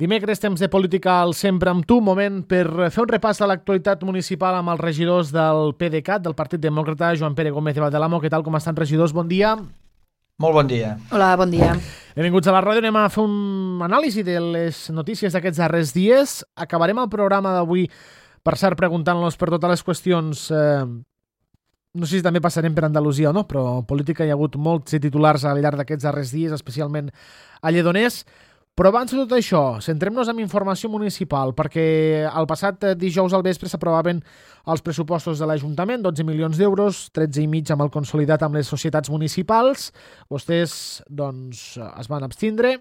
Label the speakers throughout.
Speaker 1: Dimecres, temps de política al Sempre amb tu, moment per fer un repàs de l'actualitat municipal amb els regidors del PDeCAT, del Partit Demòcrata, Joan Pere Gómez de Valdelamo. Què tal, com estan, regidors? Bon dia.
Speaker 2: Molt bon dia.
Speaker 3: Hola, bon dia.
Speaker 1: Benvinguts a la ràdio. Anem a fer un anàlisi de les notícies d'aquests darrers dies. Acabarem el programa d'avui, per cert, preguntant-los per totes les qüestions. No sé si també passarem per Andalusia o no, però en política hi ha hagut molts titulars al llarg d'aquests darrers dies, especialment a Lledoners. Però abans de tot això, centrem-nos en informació municipal, perquè el passat dijous al vespre s'aprovaven els pressupostos de l'Ajuntament, 12 milions d'euros, 13,5 amb el consolidat amb les societats municipals. Vostès, doncs, es van abstindre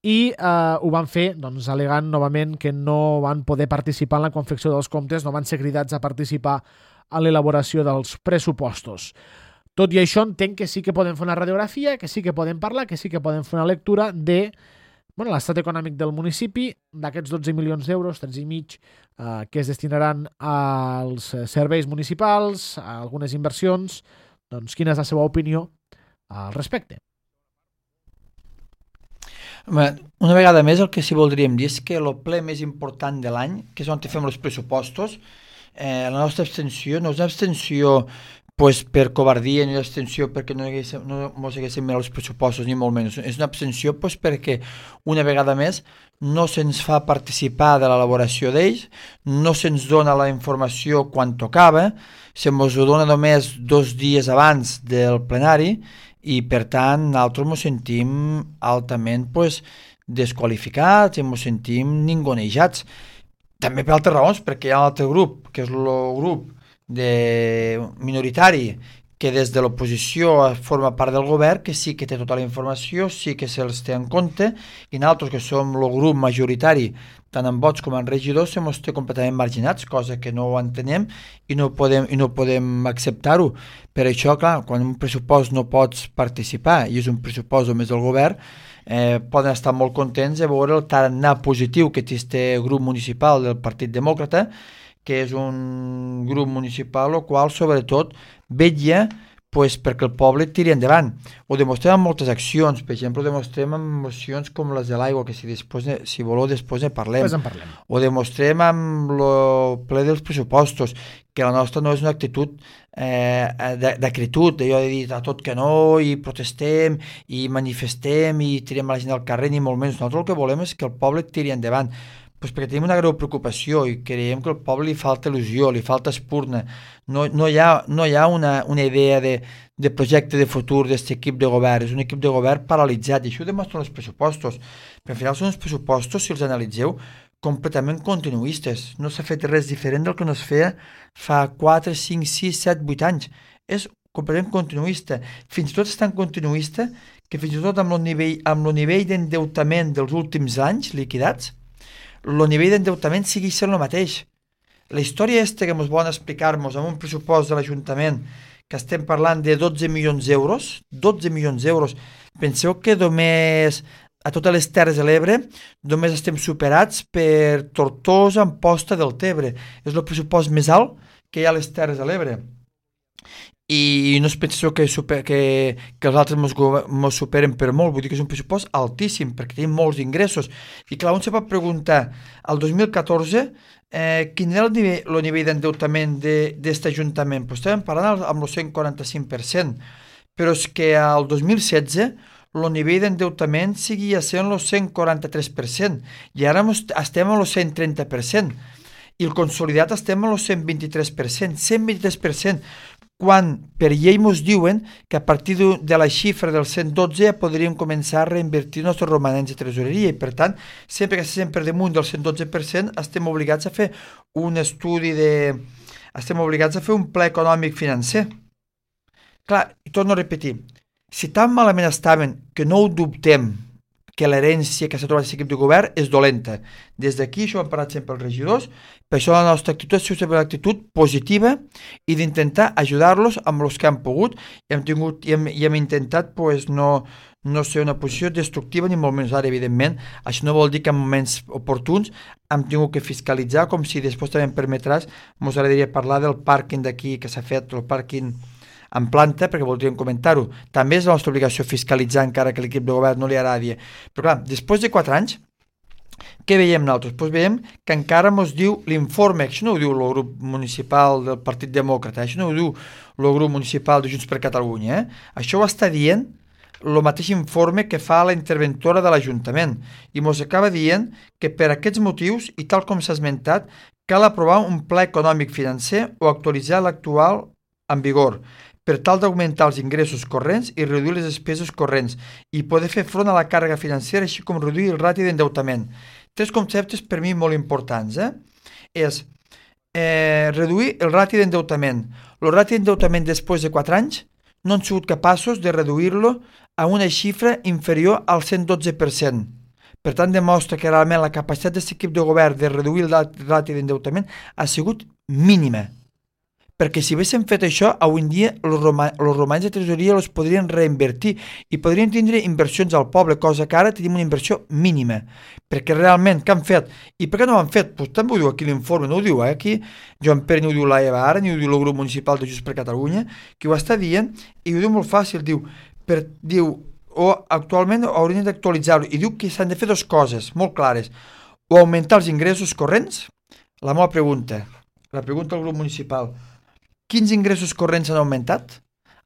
Speaker 1: i ho van fer, doncs, al·legant novament que no van poder participar en la confecció dels comptes, no van ser cridats a participar en l'elaboració dels pressupostos. Tot i això, entenc que sí que podem fer una radiografia, que sí que podem parlar, que sí que podem fer una lectura de l'estat econòmic del municipi, d'aquests 12 milions d'euros, 13,5 que es destinaran als serveis municipals, a algunes inversions. Doncs quina és la seva opinió al respecte?
Speaker 2: Una vegada més, el que sí voldríem dir és que el ple més important de l'any, que és on fem els pressupostos, la nostra abstenció no és una abstenció per covardia, ni l'abstenció perquè no ens haguéssim mirat els pressupostos, ni molt menys. És una abstenció perquè una vegada més no se'ns fa participar de l'elaboració d'ells, no se'ns dona la informació quan tocava, se'ns ho dona només 2 dies abans del plenari i per tant nosaltres ens sentim altament desqualificats i ens sentim ningonejats. També per altres raons, perquè hi ha un altre grup, que és el grup minoritari, que des de l'oposició forma part del govern, que sí que té tota la informació, sí que se'ls té en compte, i nosaltres, que som el grup majoritari, tant en vots com en regidors, se mos té completament marginats, cosa que no ho entenem i no podem acceptar-ho. Per això, clar, quan un pressupost no pots participar i és un pressupost només del govern, poden estar molt contents de veure el tarannà positiu que té este grup municipal del Partit Demòcrata, que és un grup municipal el qual sobretot vetlla perquè el poble tiri endavant. Ho demostrem amb moltes accions, per exemple, ho demostrem amb mocions com les de l'aigua, que si voleu després ne parlem. Ho demostrem amb el ple dels pressupostos, que la nostra no és una actitud d'acritud, d'allò de dir a tot que no, i protestem, i manifestem, i tirem la gent al carrer, ni molt menys. Nosaltres el que volem és que el poble tiri endavant, perquè tenim una greu preocupació i creiem que al poble li falta il·lusió, li falta espurna. No hi ha una idea de projecte de futur d'aquest equip de govern. És un equip de govern paralitzat, i això ho demostren els pressupostos. Però al final són uns pressupostos, si els analitzeu, completament continuistes. No s'ha fet res diferent del que no es feia fa 4, 5, 6, 7, 8 anys. És completament continuista. Fins i tot és tan continuista que fins i tot amb el nivell d'endeutament dels últims anys liquidats, el nivell d'endeutament sigui sent el mateix. La història que ens volen explicar-nos amb un pressupost de l'Ajuntament que estem parlant de 12 milions d'euros, penseu que només a totes les Terres de l'Ebre només estem superats per Tortosa, Amposta, Deltebre. És el pressupost més alt que hi ha a les Terres de l'Ebre. I no es penseu que els altres ens superen per molt, vull dir que és un pressupost altíssim, perquè tenim molts ingressos. I clar, un se pot preguntar, al 2014, quin era el nivell d'endeutament d'aquest Ajuntament? Pues estàvem parlant amb el 145%, però és que al 2016 el nivell d'endeutament seguia sent el 143%, i ara estem al 130%, i el consolidat estem al 123%, 123%, quan per llei ens diuen que a partir de la xifra del 112 ja podríem començar a reinvertir els nostres romanents de tresoreria, i per tant, sempre que estem per damunt del 112%, estem obligats a fer un estudi estem obligats a fer un pla econòmic financer. Clar, i torno a repetir, si tan malament estaven que no ho dubtem, que l'herència que s'ha trobat aquest equip de govern és dolenta. Des d'aquí, això ho hem parlat sempre els regidors, per això la nostra actitud és sempre una actitud positiva i d'intentar ajudar-los amb els que han pogut, i hem intentat no ser una posició destructiva ni molt menys. Ara, evidentment, això no vol dir que en moments oportuns hem tingut que fiscalitzar, com si després també em permetràs, ens agradaria parlar del pàrquing d'aquí que s'ha fet, el pàrquing en planta, perquè voldríem comentar-ho. També és la nostra obligació fiscalitzar, encara que l'equip de govern no li agradi. Però clar, després de 4 anys, Què veiem nosaltres? Doncs veiem que encara ens diu l'informe, això no ho diu el grup municipal del Partit Demòcrata, això no ho diu el grup municipal de Junts per Catalunya, Això ho està dient el mateix informe que fa la interventora de l'Ajuntament i ens acaba dient que per aquests motius, i tal com s'ha esmentat, cal aprovar un pla econòmic financer o actualitzar l'actual en vigor per tal d'augmentar els ingressos corrents i reduir les despeses corrents i poder fer front a la càrrega financera així com reduir el rati d'endeutament. Tres conceptes per mi molt importants. És reduir el rati d'endeutament. El rati d'endeutament després de 4 anys no han sigut capaços de reduir-lo a una xifra inferior al 112%. Per tant, demostra que realment la capacitat d'aquest equip de govern de reduir el rati d'endeutament ha sigut mínima. Perquè si haguéssim fet això, avui en dia els romanents de tresoreria els podrien reinvertir i podrien tindre inversions al poble, cosa que ara tenim una inversió mínima. Perquè realment, què han fet? I per què no ho han fet? Pues també ho diu aquí l'informe, no ho diu aquí Joan Pere, ni ho diu l'Eva ara, ni ho diu el grup municipal de Junts per Catalunya, que ho està dient i ho diu molt fàcil, diu actualment haurien d'actualitzar-ho i diu que s'han de fer dues coses molt clares, o augmentar els ingressos corrents, la meva pregunta, la pregunta al grup municipal, quins ingressos corrents han augmentat?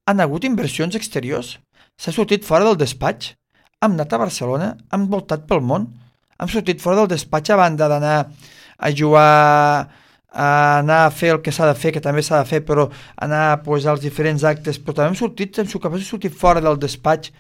Speaker 2: Han hagut inversions exteriors? S'ha sortit fora del despatx? Hem anat a Barcelona? Hem voltat pel món? Hem sortit fora del despatx a banda d'anar a jugar, a anar a fer el que s'ha de fer, que també s'ha de fer, però anar pues, als diferents actes, però també hem sigut capaços de sortir fora del despatx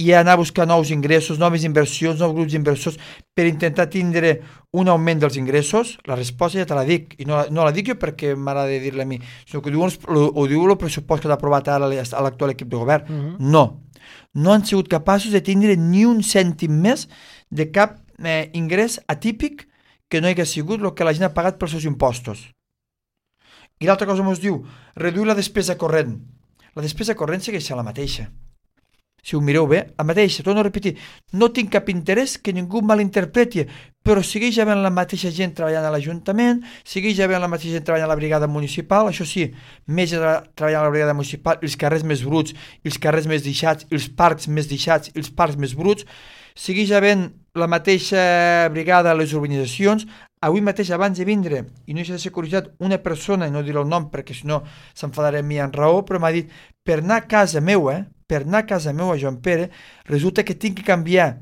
Speaker 2: i anar a buscar nous ingressos, noves inversions, nous grups d'inversors per intentar tindre un augment dels ingressos? La resposta ja te la dic, i no la dic jo perquè m'agrada dir-la a mi, sinó que ho diu el pressupost que ha aprovat ara l'actual equip de govern. No han sigut capaços de tindre ni un cèntim més de cap ingrés atípic que no hi hagués sigut el que la gent ha pagat pels seus impostos. I l'altra cosa ens diu, reduir la despesa corrent. La despesa corrent segueix sent la mateixa. Si ho mireu bé, la mateixa, torno a repetir, no tinc cap interès que ningú malinterpreti, però segueix havent la mateixa gent treballant a l'Ajuntament, segueix havent la mateixa gent treballant a la brigada municipal, això sí, més gent treballant a la brigada municipal, els carrers més bruts, els carrers més deixats, els parcs més deixats, els parcs més bruts, segueix havent la mateixa brigada a les urbanitzacions. Avui mateix, abans de vindre, i no deixa de ser curiositat, una persona, i no diré el nom perquè si no s'enfadaré amb mi en raó, però m'ha dit, per anar a casa meva, Joan Pere, resulta que tinc que canviar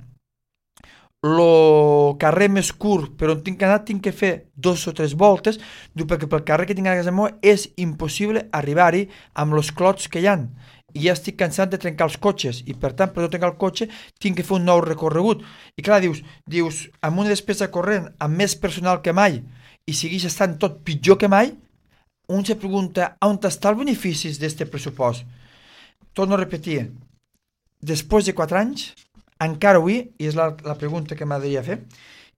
Speaker 2: el carrer més curt per on tinc que anar, tinc que fer 2 o 3 voltes, perquè pel carrer que tinc a casa meva és impossible arribar-hi amb els clots que hi ha. I ja estic cansat de trencar els cotxes i per tant per no trencar el cotxe tinc que fer un nou recorregut i clar, dius amb una despesa corrent, amb més personal que mai i segueix estant tot pitjor que mai, un se pregunta on està els beneficis d'aquest pressupost. Torno a repetir, després de 4 anys encara avui, i és la pregunta que m'agradaria fer,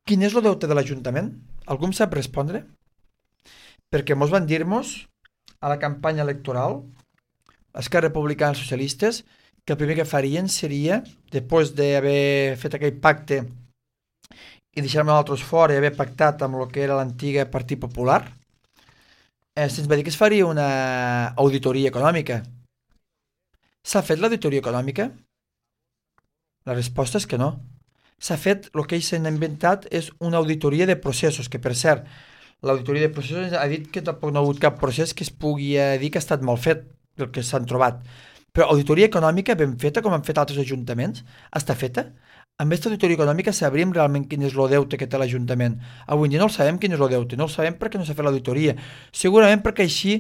Speaker 2: quin és el deute de l'Ajuntament? Algú em sap respondre? Perquè mos van dir-nos a la campanya electoral Esquerra Republicana i els socialistes que el primer que farien seria, després d'haver fet aquell pacte i deixar-me nosaltres fora i haver pactat amb el que era l'antiga Partit Popular, se'ns va dir que es faria una auditoria econòmica. S'ha fet l'auditoria econòmica? La resposta és que no. S'ha fet, el que ells s'han inventat és una auditoria de processos, que per cert, l'auditoria de processos ha dit que tampoc no ha hagut cap procés que es pugui dir que ha estat mal fet, el que s'han trobat. Però auditoria econòmica ben feta, com han fet altres ajuntaments, està feta. Amb aquesta auditoria econòmica sabríem realment quin és el deute que té l'Ajuntament. Avui en dia no el sabem quin és el deute, no el sabem perquè no s'ha fet l'auditoria. Segurament perquè així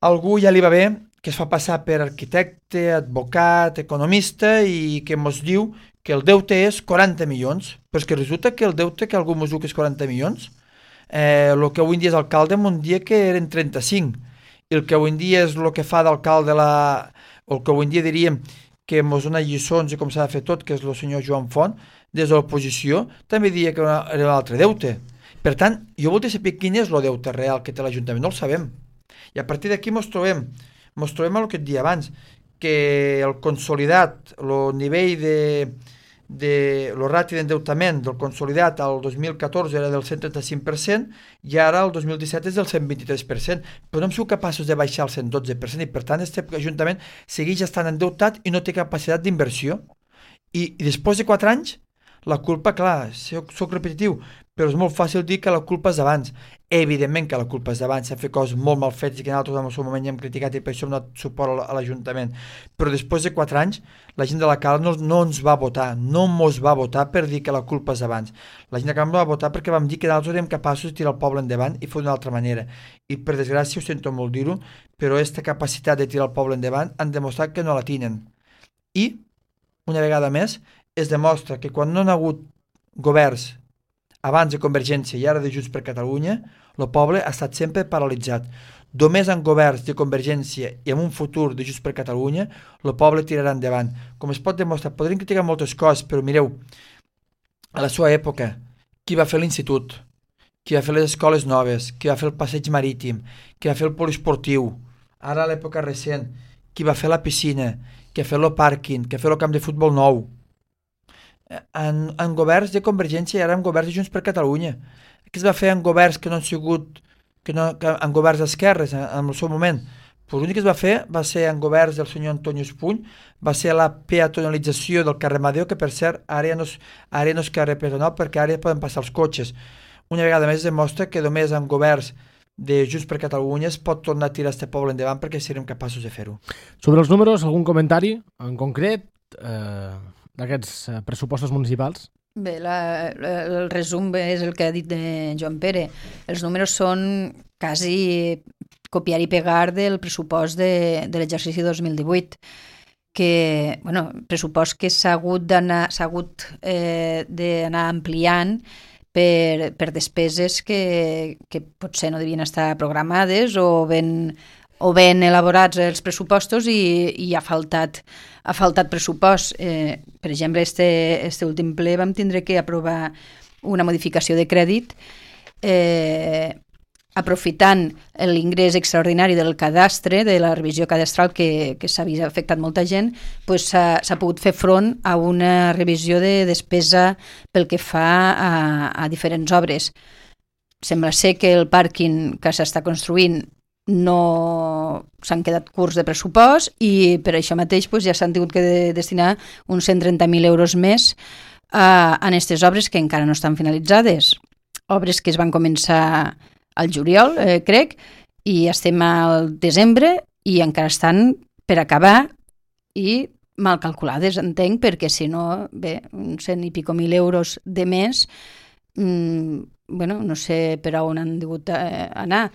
Speaker 2: algú ja li va bé que es fa passar per arquitecte, advocat, economista i que ens diu que el deute és 40 milions. Però és que resulta que el deute que algú ens diu que és 40 milions, el que avui en dia és alcalde, en un dia que eren 35. I el que avui en dia és el que fa d'alcalde el que avui en dia diríem que ens dona lliçons i com s'ha de fer tot, que és el senyor Joan Font, des de l'oposició, també diria que era un altre deute. Per tant, jo voldria saber quin és el deute real que té l'Ajuntament, no el sabem. I a partir d'aquí ens trobem amb el que et dia abans, que el consolidat, el nivell el rati d'endeutament del consolidat al 2014 era del 135% i ara el 2017 és del 123%, però no hem sigut capaços de baixar el 112% i per tant aquest Ajuntament segueix estant endeutat i no té capacitat d'inversió i després de 4 anys la culpa, clar, soc repetitiu, però és molt fàcil dir que la culpa és d'abans. Evidentment que la culpa és d'abans, s'han fet coses molt mal fetes i que nosaltres en el seu moment ja hem criticat i per això hem donat suport a l'Ajuntament. Però després de 4 anys, la gent de la Cala no ens va votar, no mos va votar per dir que la culpa és d'abans. La gent de la Cala no va votar perquè vam dir que nosaltres érem capaços de tirar el poble endavant i fer d'una altra manera. I per desgràcia, ho sento molt dir-ho, però aquesta capacitat de tirar el poble endavant han demostrat que no la tenen. I, una vegada més, es demostra que quan no hi ha hagut governs abans de Convergència i ara de Junts per Catalunya, el poble ha estat sempre paralitzat. Només en governs de Convergència i en un futur de Junts per Catalunya, el poble tirarà endavant. Com es pot demostrar, podríem criticar moltes coses, però mireu, a la seva època, qui va fer l'institut, qui va fer les escoles noves, qui va fer el passeig marítim, qui va fer el poliesportiu, ara a l'època recent, qui va fer la piscina, qui va fer el pàrquing, qui va fer el camp de futbol nou, en governs de Convergència i ara en governs de Junts per Catalunya. Què es va fer en governs que no han sigut que en governs d'esquerres en el seu moment? Pues l'únic que es va fer va ser en governs del senyor Antonio Espuny, va ser la peatonalització del carrer Amadeu, que per cert ara no és carrer peatonal perquè ara ja poden passar els cotxes. Una vegada més demostra que només en governs de Junts per Catalunya es pot tornar a tirar este poble endavant perquè serem capaços de fer-ho.
Speaker 1: Sobre els números, algun comentari en concret d'aquests pressupostos municipals?
Speaker 3: Bé, el resum és el que ha dit de Joan Pere. Els números són quasi copiar i pegar del pressupost de l'exercici 2018, que, bueno, pressupost que s'ha hagut d'anar ampliant per despeses que potser no devien estar programades o ben elaborats els pressupostos i ha faltat pressupost. Per exemple, este últim ple vam tindre que aprovar una modificació de crèdit aprofitant l'ingrés extraordinari del cadastre, de la revisió cadastral que s'havia afectat molta gent, pues s'ha pogut fer front a una revisió de despesa pel que fa a diferents obres. Sembla ser que el pàrquing que s'està construint no s'han quedat curts de pressupost i per això mateix pues, ja s'han tingut que destinar uns 130.000 euros més a aquestes obres que encara no estan finalitzades. Obres que es van començar al juliol, crec, i estem al desembre i encara estan per acabar i mal calculades, entenc, perquè si no, bé, uns 100 i pico mil euros de més, bueno, no sé per on han degut anar.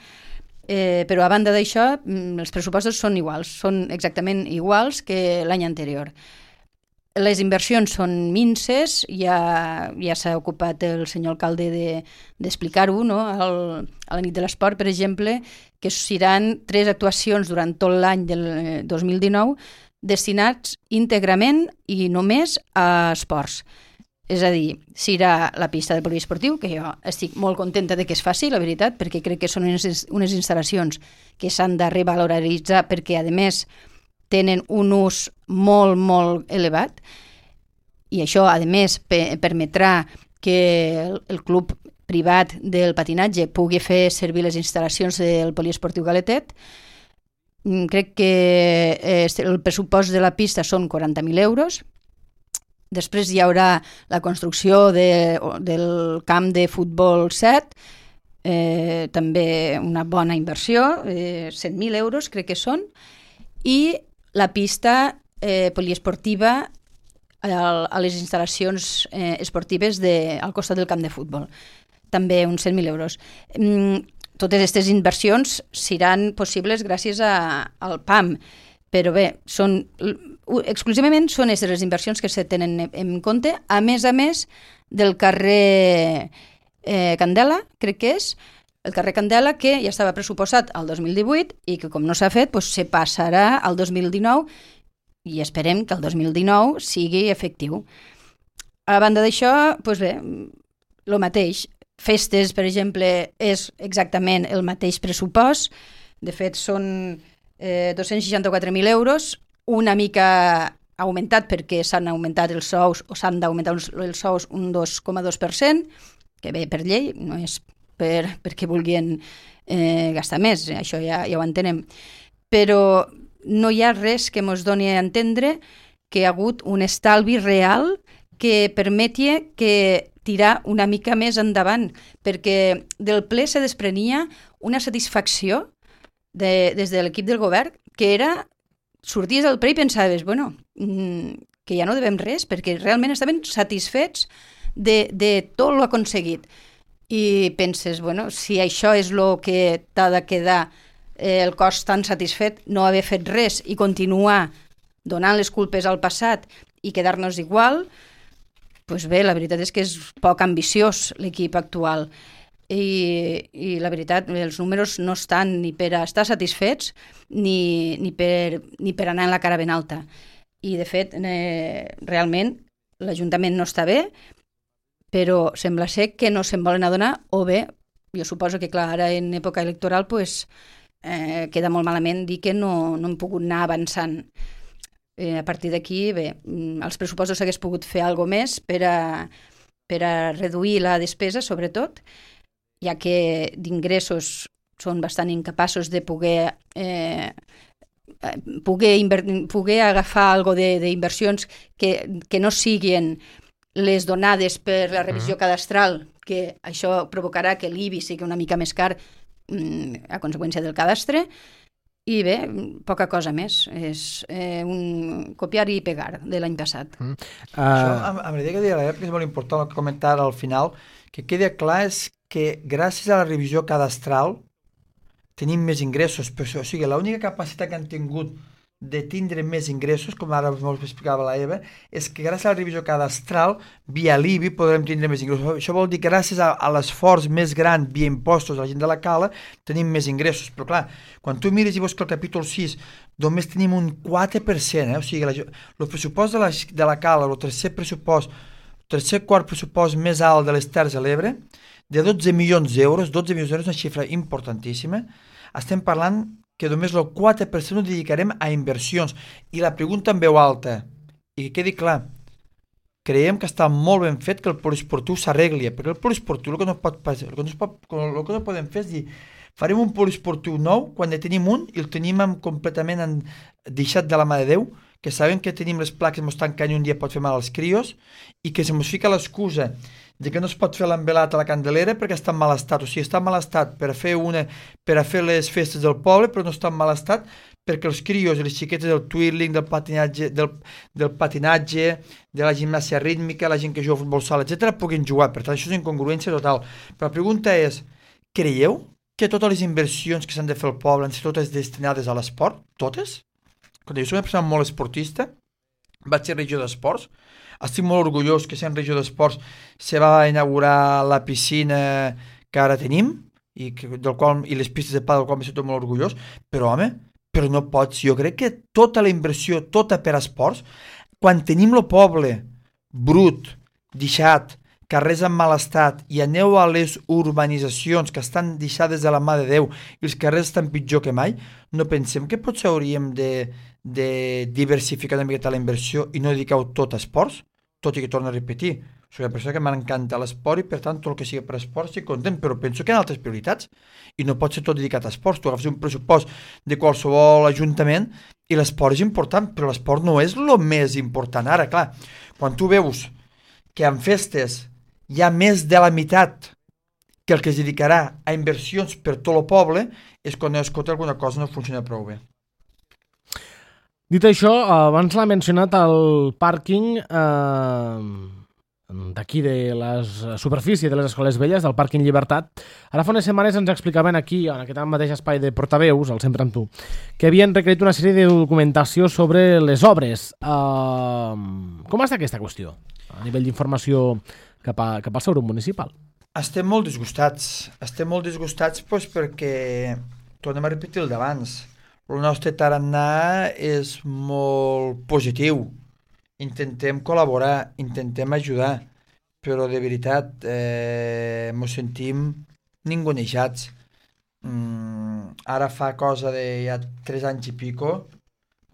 Speaker 3: Però a banda d'això, els pressupostos són iguals, són exactament iguals que l'any anterior. Les inversions són minses, ja s'ha ocupat el senyor alcalde d'explicar-ho, no? A la nit de l'esport, per exemple, que seran 3 actuacions durant tot l'any del 2019 destinats íntegrament i només a esports. És a dir, serà la pista del poliesportiu, que jo estic molt contenta de que es faci, la veritat, perquè crec que són unes instal·lacions que s'han de revaloritzar perquè, a més, tenen un ús molt, molt elevat i això, a més, permetrà que el club privat del patinatge pugui fer servir les instal·lacions del poliesportiu Galetet. Crec que el pressupost de la pista són 40.000 euros. Després hi haurà la construcció del camp de futbol 7, també una bona inversió, 100.000 euros crec que són, i la pista poliesportiva a les instal·lacions esportives al costat del camp de futbol, també uns 100.000 euros. Totes aquestes inversions seran possibles gràcies al PAM, però bé, exclusivament són aquestes les inversions que se tenen en compte, a més del carrer Candela, crec que és, el carrer Candela, que ja estava pressuposat al 2018 i que com no s'ha fet, doncs se passarà al 2019 i esperem que el 2019 sigui efectiu. A banda d'això, doncs bé, el mateix. Festes, per exemple, és exactament el mateix pressupost. De fet, són 264.000 euros, una mica augmentat perquè s'han augmentat els sous o s'han d'augmentar els sous un 2,2%, que bé per llei, no és perquè vulguin gastar més, això ja ho entenem. Però no hi ha res que ens doni a entendre que hi ha hagut un estalvi real que permetia que tirar una mica més endavant, perquè del ple se desprenia una satisfacció des de l'equip del govern, que era, sorties del ple i pensaves, bueno, que ja no devem res, perquè realment estaven satisfets de tot lo aconseguit. I penses, bueno, si això és el que t'ha de quedar el cos tan satisfet, no haver fet res i continuar donant les culpes al passat i quedar-nos igual, doncs bé, la veritat és que és poc ambiciós l'equip actual. I la veritat, els números no estan ni per a estar satisfets ni per anar en la cara ben alta. I, de fet, realment l'Ajuntament no està bé, però sembla ser que no se'n volen adonar, o bé, jo suposo que, clar, ara en època electoral queda molt malament dir que no hem pogut anar avançant. A partir d'aquí, bé, els pressupostos s'hagués pogut fer alguna més per a reduir la despesa, sobretot, ja que d'ingressos són bastant incapaços de poder agafar algo d'inversions que no siguin les donades per la revisió cadastral, que això provocarà que l'IBI sigui una mica més car a conseqüència del cadastre, i bé, poca cosa més. És un copiar i pegar de l'any passat.
Speaker 2: Això, amb la idea que deia l'Ep, que és molt important el que comentar al final, que queda clar és que gràcies a la revisió cadastral tenim més ingressos, però, o sigui, l'única capacitat que han tingut de tindre més ingressos, com ara us explicava la Eva, és que gràcies a la revisió cadastral, via l'IBI, podrem tindre més ingressos. Això vol dir que gràcies a l'esforç més gran via impostos de la gent de la Cala, tenim més ingressos. Però clar, quan tu mires i veus que el capítol 6 només tenim un 4%, o sigui, el pressupost de la Cala, el tercer quart pressupost més alt de les Terres de l'Ebre, de 12 milions d'euros, 12 milions d'euros, una xifra importantíssima, estem parlant que només el 4% ho dedicarem a inversions. I la pregunta en veu alta, i que quedi clar, creiem que està molt ben fet que el poliesportiu s'arregli, perquè el poliesportiu el que no podem fer és dir, farem un poliesportiu nou quan ne tenim un i el tenim completament deixat de la mà de Déu, que sabem que tenim les plaques, ens tancant i un dia pot fer mal als crios, i que se ens fica l'excusa de que no es pot fer l'envelat a la Candelera perquè està en mal estat. O sigui, està en mal estat per a fer les festes del poble, però no està en mal estat perquè els crios i les xiquetes del twirling, del patinatge, de la gimnàsia rítmica, la gent que juga a futbol sala, etc., puguin jugar. Per tant, això és incongruència total. Però la pregunta és, creieu que totes les inversions que s'han de fer al poble han de ser totes destinades a l'esport? Totes? Quan jo soc una persona molt esportista, vaig ser regidor d'esports, estic molt orgullós que sent regidor d'esports se va inaugurar la piscina que ara tenim i les pistes de pal del qual m'he sentit molt orgullós, però home, però no pots, jo crec que tota la inversió, tota per a esports, quan tenim el poble brut, deixat, carrers en mal estat i aneu a les urbanitzacions que estan deixades de la mà de Déu i els carrers estan pitjor que mai, no pensem que potser hauríem de diversificar una miqueta la inversió i no dedicar-ho tot a esports, tot i que torno a repetir, soc una persona que m'encanta l'esport i per tant tot el que sigui per esport estic content, però penso que hi ha altres prioritats i no pot ser tot dedicat a esports. Tu agafes un pressupost de qualsevol ajuntament i l'esport és important, però l'esport no és el més important. Ara, clar, quan tu veus que en festes hi ha més de la meitat que el que es dedicarà a inversions per tot el poble, és quan escolta alguna cosa no funciona prou bé.
Speaker 1: Dit això, abans l'ha mencionat el pàrquing d'aquí de la superfície de les Escoles Velles, del pàrquing Llibertat. Ara fa unes setmanes ens explicaven aquí, en aquest mateix espai de portaveus, el Sempre amb tu, que havien requerit una sèrie de documentació sobre les obres. Com està aquesta qüestió a nivell d'informació cap al seu grup municipal?
Speaker 2: Estem molt disgustats doncs, perquè tornem a repetir el d'abans. El nostre tarannà és molt positiu. Intentem col·laborar, intentem ajudar, però de veritat ens sentim ningunejats. Ara fa cosa de ja 3 anys i pico,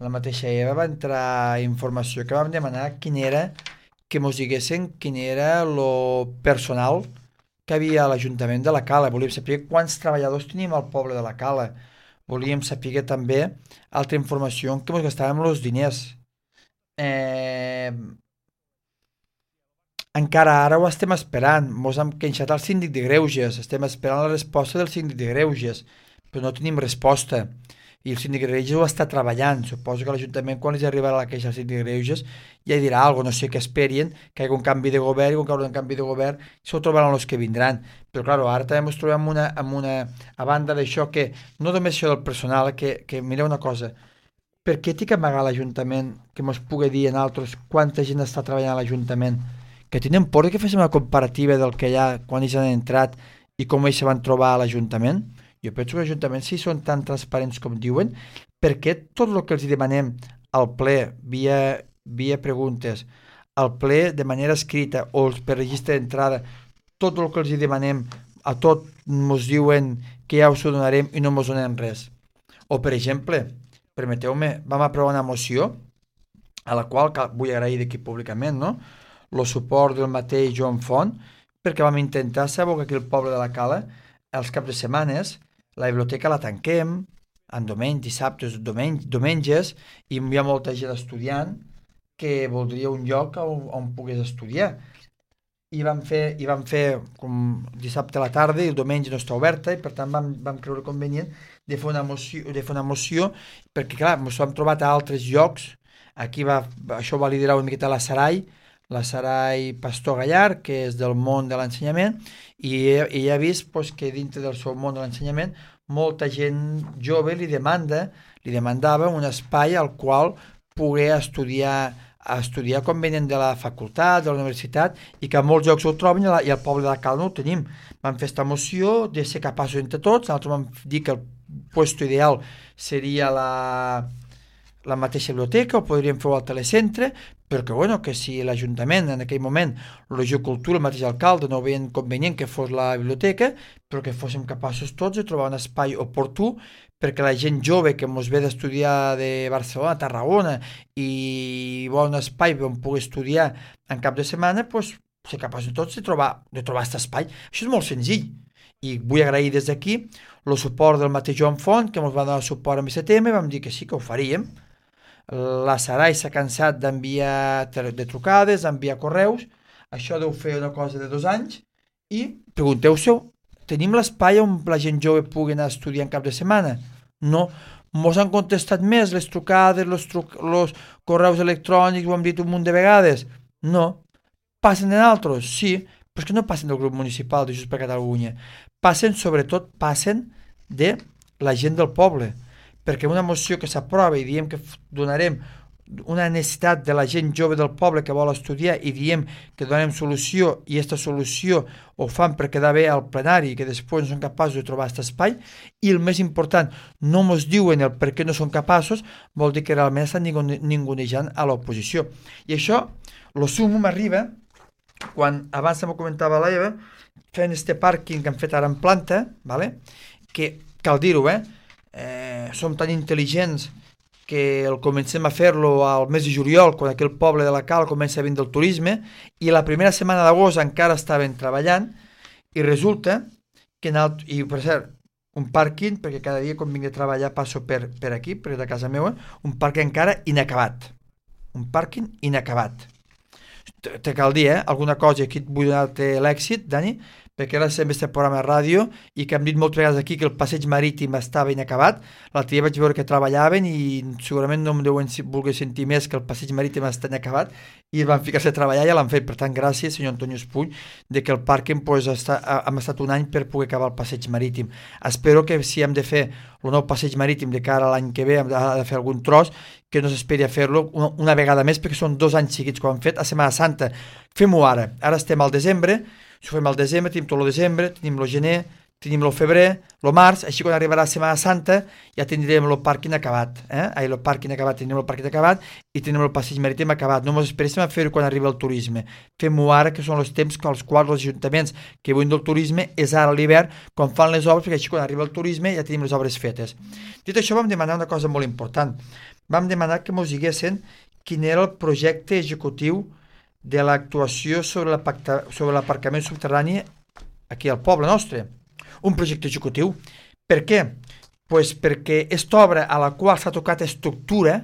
Speaker 2: la mateixa Eva va entrar informació que vam demanar que ens diguessin quin era el personal que havia a l'Ajuntament de la Cala. Volíem saber quants treballadors teníem al poble de la Cala. Volíem saber també altra informació en què ens gastàvem els diners. encara ara ho estem esperant. Mos hem queixat al síndic de Greuges, estem esperant la resposta del síndic de Greuges, però no tenim resposta. I el síndic de Greuges ho està treballant. Suposo que l'Ajuntament, quan els arribarà la queixa al síndic de Greuges, ja dirà alguna cosa, no sé què esperien, que hi hagi un canvi de govern, i quan hi haurà un canvi de govern, s'ho trobaran els que vindran. Però, clar, ara també ens trobem a banda d'això, que no només això del personal, que mireu una cosa, per què té que amagar l'Ajuntament que mos pugui dir en altres quanta gent està treballant a l'Ajuntament? Que tenen por que féssim una comparativa del que hi ha quan ells han entrat i com ells se van trobar a l'Ajuntament? Jo penso que l'Ajuntament, si són tan transparents com diuen, per què tot el que els demanem al ple, via preguntes, al ple de manera escrita o per registre d'entrada, tot el que els demanem a tot ens diuen que ja us ho donarem i no ens donem res? O, per exemple, permeteu-me, vam aprovar una moció a la qual vull agrair d'aquí públicament, no?, el suport del mateix Joan Font, perquè vam intentar saber que aquí al poble de la Cala, els caps de setmanes, la biblioteca la tanquem, en diumenge, dissabtes, diumenges, i hi ha molta gent estudiant que voldria un lloc on pogués estudiar. I vam fer com dissabte a la tarda i el diumenge no està oberta, i per tant vam creure convenient de fer una moció, perquè clar, ens ho hem trobat a altres llocs. Aquí això va liderar una miqueta la Sarai Pastor Gallar, que és del món de l'ensenyament, i ella ha vist que dintre del seu món de l'ensenyament molta gent jove li demandava un espai al qual poder estudiar quan venen de la facultat, de la universitat, i que a molts llocs ho troben i al poble de la Cala no ho tenim. Vam fer aquesta moció de ser capaços entre tots, nosaltres vam dir que el lloc ideal seria la mateixa biblioteca, o podríem fer-ho al telecentre, perquè que si l'Ajuntament en aquell moment, la Regió Cultura, el mateix alcalde, no veien convenient que fos la biblioteca, però que fóssim capaços tots de trobar un espai oportú perquè la gent jove que ens ve d'estudiar de Barcelona, Tarragona, i vol un espai on pugui estudiar en cap de setmana, ser capaços tots de trobar aquest espai. Això és molt senzill. I vull agrair des d'aquí el suport del mateix Joan Font, que ens va donar suport en aquest tema, i vam dir que sí, que ho faríem. La Sarai s'ha cansat d'enviar de trucades, d'enviar correus, això deu fer una cosa de 2 anys, i pregunteu-se, tenim l'espai on la gent jove pugui anar a estudiar en cap de setmana? No, mos han contestat més les trucades, els correus electrònics, ho hem dit un munt de vegades? No. Passen en altres? Sí, però és que no passen del grup municipal de Junts per Catalunya, sobretot passen de la gent del poble, perquè una moció que s'aprova i diem que donarem una necessitat de la gent jove del poble que vol estudiar i diem que donarem solució, i aquesta solució ho fan per quedar bé al plenari, que després no són capaços de trobar aquest espai, i el més important, no ens diuen el per què no són capaços, vol dir que realment estan ningunejant a l'oposició. I això, el sumum m'arriba quan abans m'ho comentava l'Eva, fent este pàrquing que hem fet ara en planta, que cal dir-ho, som tan intel·ligents que el comencem a fer-lo al mes de juliol, quan aquell poble de la Cala comença a vindre el turisme, i la primera setmana d'agost encara estaven treballant, i resulta que, i per cert, un pàrquing, perquè cada dia quan vinc a treballar passo per aquí, per de casa meva, un pàrquing encara inacabat. Un pàrquing inacabat. Te cal dir, alguna cosa, aquí et vull donar-te l'èxit, Dani, perquè ara estem este programa de ràdio i que hem dit moltes vegades aquí que el passeig marítim estava inacabat. L'altre dia vaig veure que treballaven i segurament no em deuen voler sentir més que el passeig marítim està inacabat, i van ficar-se a treballar i ja l'han fet. Per tant, gràcies, senyor Antonio Espull, de que el pàrquing hem estat un any per poder acabar el passeig marítim. Espero que si hem de fer el nou passeig marítim de cara a l'any que ve, hem de fer algun tros, que no s'esperi a fer-lo una vegada més, perquè són 2 anys seguits que ho hem fet a Setmana Santa. Fem-ho ara. Ara estem al desembre. Si ho fem al desembre, tenim tot el desembre, tenim el gener, tenim el febrer, el març, així quan arribarà la Setmana Santa ja tindrem el pàrquing acabat. El pàrquing acabat, tindrem el pàrquing acabat i tenim el passeig marítim acabat. No ens esperéssim a fer-ho quan arriba el turisme. Fem-ho ara, que són els temps als quals els ajuntaments que viuen del turisme és ara a l'hivern, quan fan les obres, perquè així quan arriba el turisme ja tenim les obres fetes. Dit això, vam demanar una cosa molt important. Vam demanar que ens diguessin quin era el projecte executiu de l'actuació sobre l'aparcament subterrani aquí al poble nostre. Un projecte executiu. Per què? Pues perquè aquesta obra a la qual s'ha tocat estructura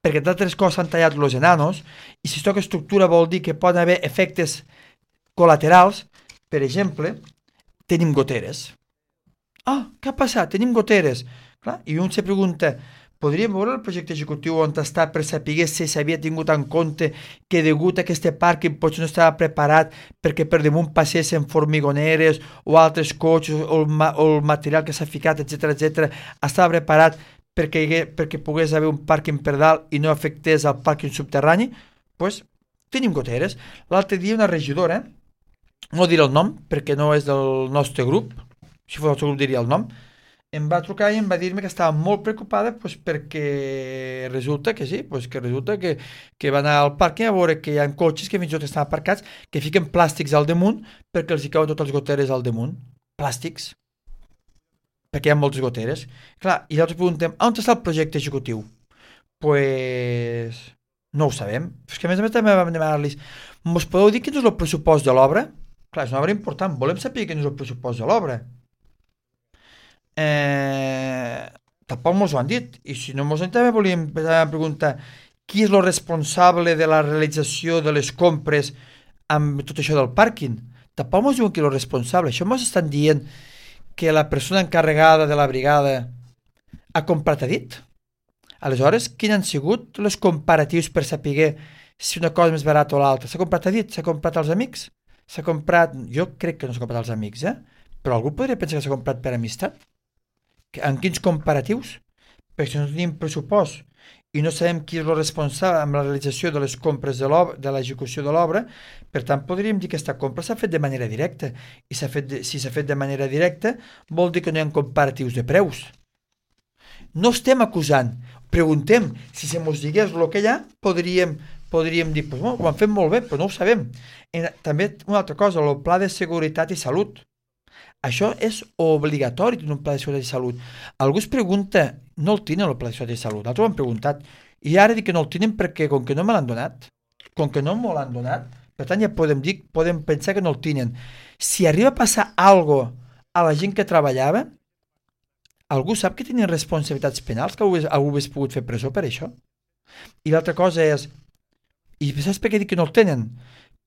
Speaker 2: perquè d'altres coses s'han tallat els enanos, i si es toca estructura vol dir que poden haver efectes col·laterals. Per exemple, tenim goteres. Què ha passat? Tenim goteres. Clar, i un se pregunta, podríem veure el projecte executiu on està per saber si s'havia tingut en compte que degut a aquest pàrquing potser no estava preparat perquè per damunt passessen formigoneres o altres cotxes o el material que s'ha ficat, etc. Estava preparat perquè pogués haver un pàrquing per dalt i no afectés el pàrquing subterrani? Doncs tenim goteres. L'altre dia una regidora, no diré el nom perquè no és del nostre grup, si fos el nostre grup diria el nom, em va trucar i em va dir-me que estava molt preocupada perquè resulta que sí, que va anar al pàrquing a veure que hi ha cotxes que fins i tot estan aparcats que fiquen plàstics al damunt perquè els hi cauen totes les goteres al damunt. Plàstics. Perquè hi ha moltes goteres. Clar, i llavors preguntem, on està el projecte executiu? Pues no ho sabem. És que a més també vam demanar-los, mos podeu dir quin és el pressupost de l'obra? Clar, és una obra important, volem saber quin és el pressupost de l'obra. Tampoc mos ho han dit, i si no mos han dit també volíem preguntar qui és el responsable de la realització de les compres amb tot això del pàrquing. Tampoc mos diuen qui és el responsable. Això mos estan dient que la persona encarregada de la brigada ha comprat a dit. Aleshores, quins han sigut els comparatius per saber si una cosa és més barata o l'altra? S'ha comprat a dit? S'ha comprat als amics? S'ha comprat... Jo crec que no s'ha comprat als amics, però algú podria pensar que s'ha comprat per amistat. En quins comparatius? Perquè si no tenim pressupost i no sabem qui és el responsable amb la realització de les compres de l'execució de l'obra, per tant podríem dir que aquesta compra s'ha fet de manera directa, i si s'ha fet de manera directa vol dir que no hi ha comparatius de preus. No estem acusant, preguntem, si se mos digués el que hi ha, podríem dir, pues, ho han fet molt bé, però no ho sabem. També una altra cosa, el pla de seguretat i salut. Això és obligatori tenir un pla de seguretat i salut. Algú es pregunta, no el tenen el pla de seguretat i salut, nosaltres ho hem preguntat, i ara dic que no el tenen perquè com que no me l'han donat, per tant ja podem pensar que no el tenen. Si arriba a passar alguna cosa a la gent que treballava, algú sap que tenen responsabilitats penals, que algú hagués pogut fer presó per això? I l'altra cosa és, i saps per què dic que no el tenen?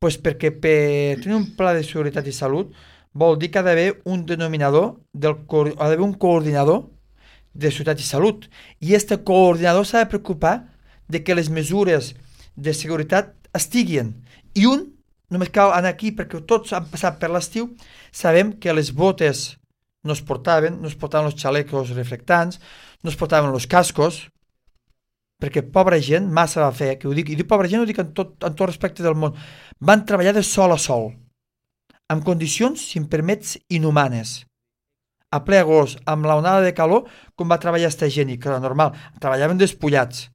Speaker 2: Doncs perquè per tenir un pla de seguretat i salut vol dir que ha d'haver un denominador, ha d'haver un coordinador de seguretat i salut. I aquest coordinador s'ha de preocupar de que les mesures de seguretat estiguin. I només cal anar aquí perquè tots han passat per l'estiu, sabem que les botes no es portaven els xalecos reflectants, no es portaven els cascos, perquè pobra gent massa va fer, que ho dic, i dic pobra gent ho dic en tot respecte del món, van treballar de sol a sol, amb condicions, si em permets, inhumanes. A ple agost, amb l'onada de calor, com va treballar aquesta gent, i que era normal, treballaven despullats,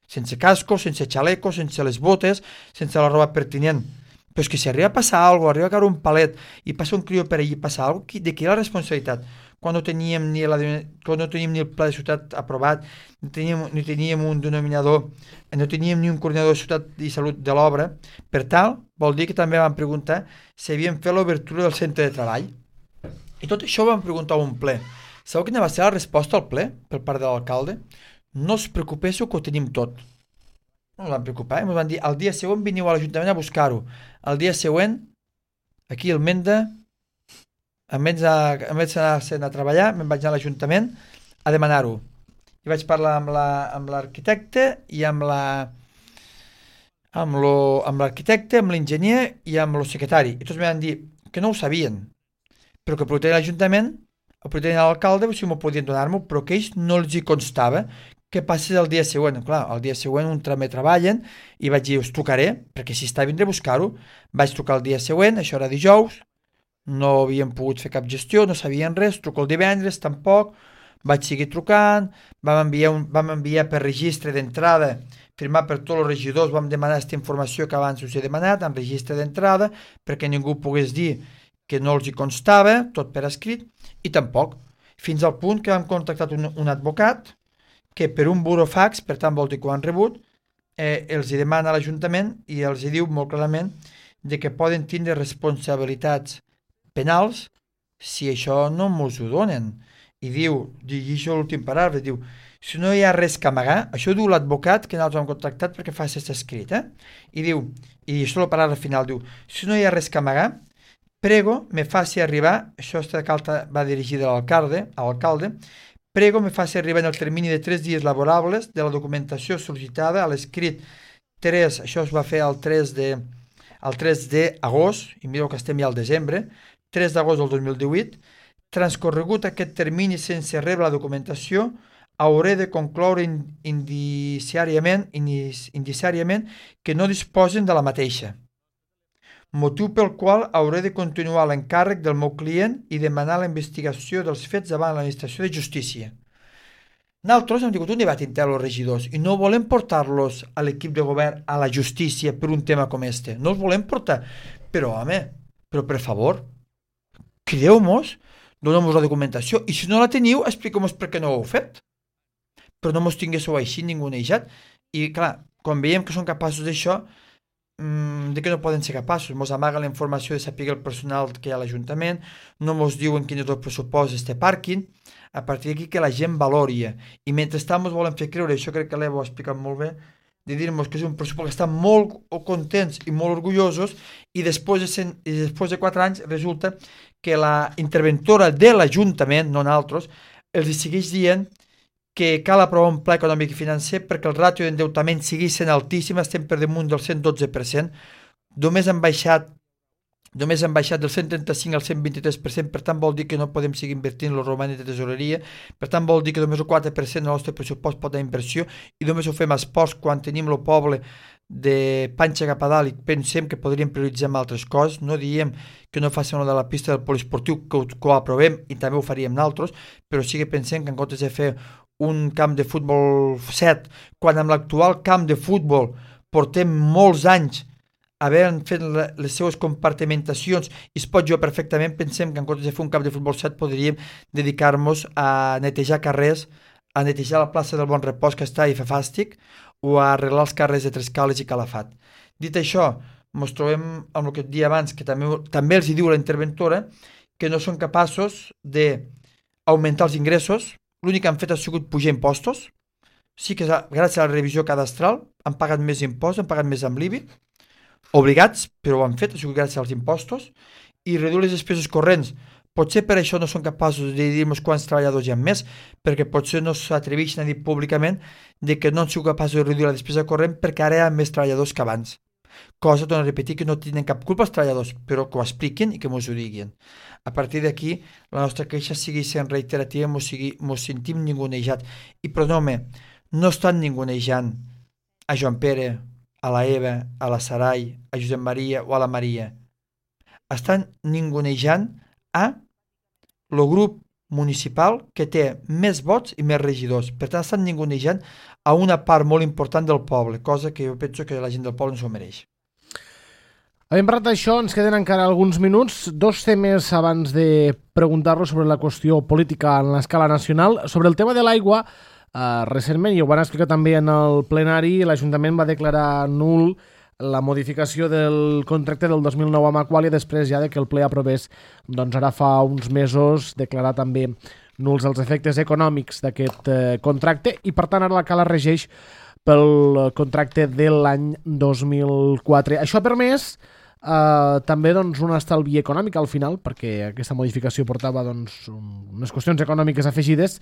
Speaker 2: sense cascos, sense xalecos, sense les botes, sense la roba pertinent. Però és que si arriba a passar alguna cosa, arriba a caure un palet, i passa un crió per allí, passa alguna cosa, de qui era la responsabilitat? Quan no teníem ni el pla de ciutat aprovat, ni teníem un denominador, no teníem ni un coordinador de ciutat i salut de l'obra, per tal, vol dir que també vam preguntar si havíem fet l'obertura del centre de treball. I tot això ho vam preguntar a un ple. Sabeu quina va ser la resposta al ple per part de l'alcalde? No us preocupéssiu que ho tenim tot. No ens vam preocupar, ens van dir, el dia següent veniu a l'Ajuntament a buscar-ho. El dia següent, aquí al Menda, en vez d'anar a treballar, me'n vaig anar a l'Ajuntament a demanar-ho. I vaig parlar amb l'arquitecte i amb l'arquitecte, amb l'enginyer i amb el secretari. I tots em van dir que no ho sabien, però que preguntarien a l'Ajuntament, o preguntarien a l'alcalde si m'ho podien donar-m'ho, però que ells no els hi constava que passés el dia següent. Clar, el dia següent un també treballen i vaig dir, us trucaré, perquè si està vindré a buscar-ho. Vaig trucar el dia següent, això era dijous, no havíem pogut fer cap gestió, no sabien res, truco el divendres tampoc, vaig seguir trucant, vam enviar per registre d'entrada, firmat per tots els regidors, vam demanar aquesta informació que abans us he demanat, en registre d'entrada, perquè ningú pogués dir que no els hi constava, tot per escrit, i tampoc, fins al punt que vam contactar un advocat, que per un burofax, per tant vol dir que ho han rebut, els hi demana a l'Ajuntament i els hi diu molt clarament de que poden tindre responsabilitats penals si això no mos ho donen. i diu, llegeixo l'últim paràgraf, diu, si no hi ha res que amagar, això diu l'advocat que nosaltres hem contactat perquè fa aquest escrit, i diu, i això el paràgraf final diu, si no hi ha res que amagar, prego me faci arribar, això esta carta va dirigida a l'alcalde, prego me faci arribar en el termini de 3 dies laborables de la documentació sol·licitada a l'escrit 3, això es va fer el 3 d'agost, i mireu que estem ja al desembre, 3 d'agost del 2018, transcorregut aquest termini sense rebre la documentació, hauré de concloure indiciàriament que no disposen de la mateixa. Motiu pel qual hauré de continuar l'encàrrec del meu client i demanar la investigació dels fets davant l'administració de justícia. Nosaltres hem tingut un debat intern als regidors i no volem portar-los a l'equip de govern a la justícia per un tema com este. No els volem portar. Però, home, per favor, crideu-nos, doneu-nos la documentació i si no la teniu, expliqueu-nos per què no ho heu fet. Però no mos tinguéssiu així ningunejat. I, clar, quan veiem que són capaços d'això, de que no poden ser capaços, mos amaguen la informació de saber el personal que hi ha a l'Ajuntament, no mos diuen quin és el pressupost d'este pàrquing, a partir d'aquí que la gent valoria, i mentrestant mos volen fer creure, això crec que l'Evo ha explicat molt bé, de dir-nos que és un pressupost que estan molt contents i molt orgullosos, i després de 4 anys resulta que la interventora de l'Ajuntament, no nosaltres, els segueix dient que cal aprovar un pla econòmic i financer perquè el ràtio d'endeutament sigui sent altíssim, estem per damunt del 112%, només han baixat del 135 al 123%, per tant vol dir que no podem seguir invertint el romanent de tesoreria, per tant vol dir que només el 4% del nostre pressupost pot anar a inversió i només ho fem a esports quan tenim el poble de panxa cap a dalt i pensem que podríem prioritzar amb altres coses, no diem que no facin una de la pista del poliesportiu, que ho aprovem i també ho faríem nosaltres, però sí que pensem que en comptes de fer un camp de futbol 7, quan amb l'actual camp de futbol portem molts anys havent fet les seues compartimentacions i es pot jugar perfectament, pensem que en comptes de fer un camp de futbol 7 podríem dedicar-nos a netejar carrers, a netejar la plaça del Bon Repòs que està i fa fàstic, o a arreglar els carrers de Trescales i Calafat. Dit això, ens trobem amb el que et dia abans, que també els hi diu la interventora, que no són capaços d'augmentar els ingressos. L'únic que han fet ha sigut pujar impostos. Sí que gràcies a la revisió cadastral han pagat més impostos, han pagat més amb l'IBI, obligats, però ho han fet, ha sigut gràcies als impostos, i reduir les despeses corrents. Potser per això no són capaços de dir-nos quants treballadors hi ha més, perquè potser no s'atreveixen a dir públicament de que no han sigut capaços de reduir la despesa corrent perquè ara hi ha més treballadors que abans. Cosa, torno a repetir, que no tenen cap culpa els treballadors, però que ho expliquin i que mos ho diguin. A partir d'aquí, la nostra queixa sigui sent reiterativa, mos sentim ningunejat. I però no estan ningunejant a Joan Pere, a la Eva, a la Sarai, a Josep Maria o a la Maria. Estan ningunejant a el grup municipal que té més vots i més regidors. Per tant, estan ningunejant a una part molt important del poble, cosa que jo penso que la gent del poble no s'ho mereix.
Speaker 1: Havent parlat d'això, ens queden encara alguns minuts. 2 temes abans de preguntar-los sobre la qüestió política en l'escala nacional. Sobre el tema de l'aigua, recentment, i ho van explicar també en el plenari, l'Ajuntament va declarar nul la modificació del contracte del 2009 amb Aqualia després ja de que el ple aprovés, doncs ara fa uns mesos, declarar també nuls els efectes econòmics d'aquest contracte i per tant ara la Cala regeix pel contracte de l'any 2004. Això ha permès també doncs, un estalvi econòmic al final, perquè aquesta modificació portava doncs, unes qüestions econòmiques afegides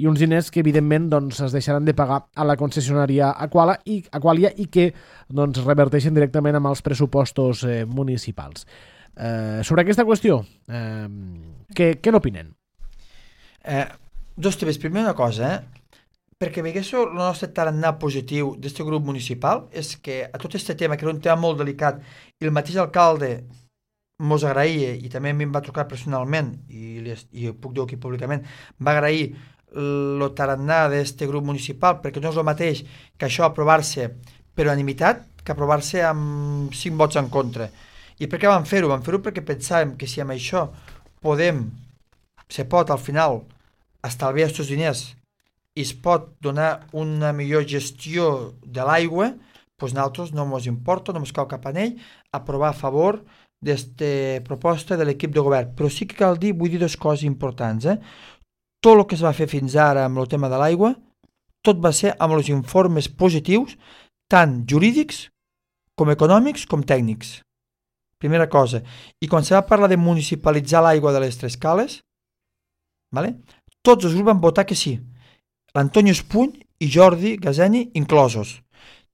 Speaker 1: i uns diners que evidentment doncs, es deixaran de pagar a la concessionària Aqualia i que doncs, reverteixen directament amb els pressupostos municipals. Sobre aquesta qüestió, què n'opinen?
Speaker 2: 2 temes. Primer una cosa, perquè veguéssiu el nostre tarannà positiu d'aquest grup municipal és que a tot aquest tema, que era un tema molt delicat, i el mateix alcalde mos agraïa, i també a mi em va trucar personalment, i ho puc dir aquí públicament, va agrair el tarannà d'aquest grup municipal, perquè no és el mateix que això aprovar-se per unanimitat que aprovar-se amb 5 vots en contra. I per què vam fer-ho? Vam fer-ho perquè pensàvem que si amb això se pot al final estalviar aquests diners i es pot donar una millor gestió de l'aigua, doncs nosaltres no ens importa, no ens cau cap anell aprovar a favor d'aquesta proposta de l'equip de govern. Però sí que cal dir, vull dir 2 coses importants. tot el que es va fer fins ara amb el tema de l'aigua, tot va ser amb els informes positius, tant jurídics com econòmics com tècnics. Primera cosa. I quan se va parlar de municipalitzar l'aigua de les Tres Cales, vale? Tots els grups van votar que sí. L'Antonio Espuny i Jordi Gazeni inclosos.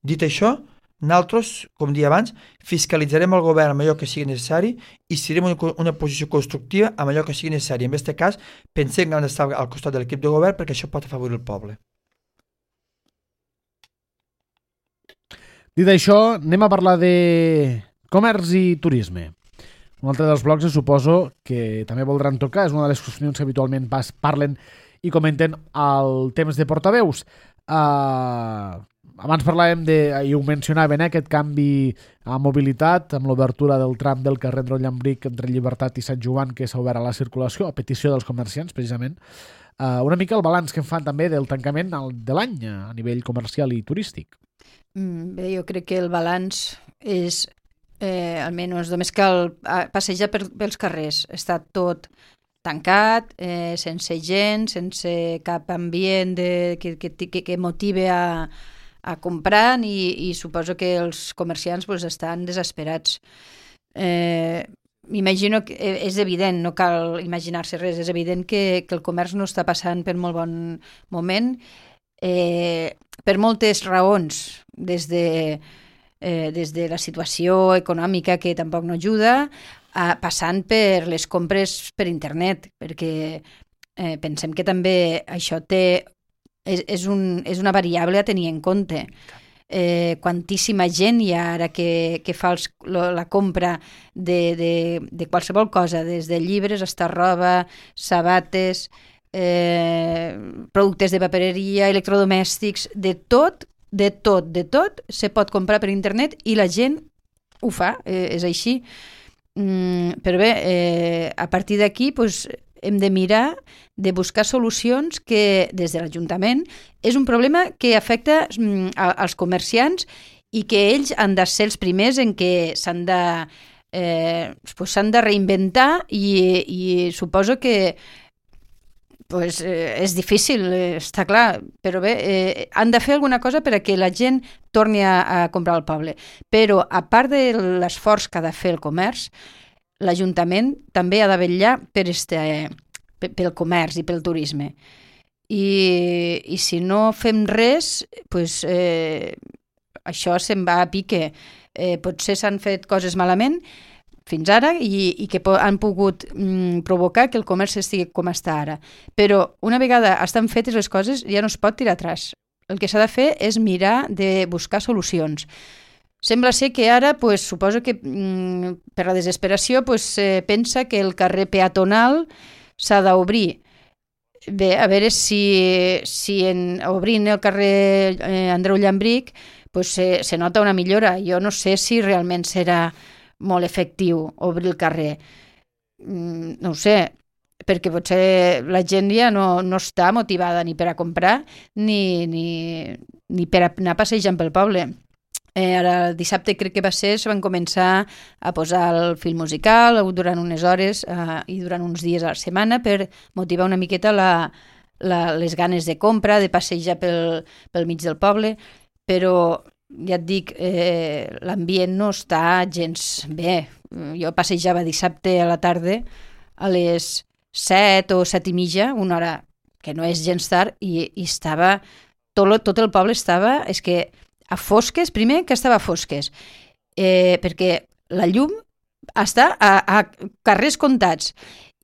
Speaker 2: Dit això, nosaltres, com dia abans, fiscalitzarem el govern amb allò que sigui necessari i serem una posició constructiva amb allò que sigui necessari. En aquest cas, pensem que hem d'estar al costat de l'equip de govern perquè això pot afavorir el poble.
Speaker 1: Dit això, anem a parlar de comerç i turisme. Un altre dels blocs, suposo que també voldran tocar, és una de les qüestions que habitualment parlen i comenten al temps de portaveus. Abans parlàvem i ho mencionaven, aquest canvi a mobilitat amb l'obertura del tram del carrer Andreu Llambric entre Llibertat i Sant Joan, que s'ha obert a la circulació a petició dels comerciants, precisament. Una mica el balanç que en fan també del tancament de l'any a nivell comercial i turístic.
Speaker 3: Bé, jo crec que el balanç és, almenys, només cal passejar pels carrers. Està tot tancat, sense gent, sense cap ambient que motive a comprar i suposo que els comerciants estan desesperats. M'imagino que és evident, no cal imaginar-se res, és evident que el comerç no està passant per molt bon moment, per moltes raons, des de la situació econòmica que tampoc no ajuda, passant per les compres per internet, perquè pensem que també això és una variable a tenir en compte. Quantíssima gent hi ha ara que fa la compra de qualsevol cosa, des de llibres fins a roba, sabates, productes de papereria, electrodomèstics, de tot se pot comprar per internet i la gent ho fa, és així. Però bé, a partir d'aquí hem de mirar de buscar solucions que des de l'Ajuntament és un problema que afecta als comerciants i que ells han de ser els primers en què s'han de reinventar i suposo que és difícil, està clar, però bé, han de fer alguna cosa perquè la gent torni a comprar al poble. Però, a part de l'esforç que ha de fer el comerç, l'Ajuntament també ha de vetllar pel comerç i pel turisme. I si no fem res, això se'n va a pique. Potser s'han fet coses malament fins ara i que han pogut provocar que el comerç estigui com està ara. Però una vegada estan fetes les coses ja no es pot tirar atràs. El que s'ha de fer és mirar de buscar solucions. Sembla ser que ara, suposo que per la desesperació pensa que el carrer peatonal s'ha d'obrir. Bé, a veure si obrint el carrer Andreu Llambric se nota una millora. Jo no sé si realment serà molt efectiu obrir el carrer. No ho sé, perquè potser la gent ja no està motivada ni per a comprar ni per a anar passejant pel poble. Ara el dissabte crec que se van començar a posar el fil musical durant unes hores i durant uns dies a la setmana per motivar una miqueta les ganes de compra, de passejar pel mig del poble, però ja et dic, l'ambient no està gens bé. Jo passejava dissabte a la tarda a les 7 o 7 i mitja, una hora que no és gens tard, i estava tot el poble estava, és que a fosques, primer que estava a fosques, perquè la llum està a carrers comptats,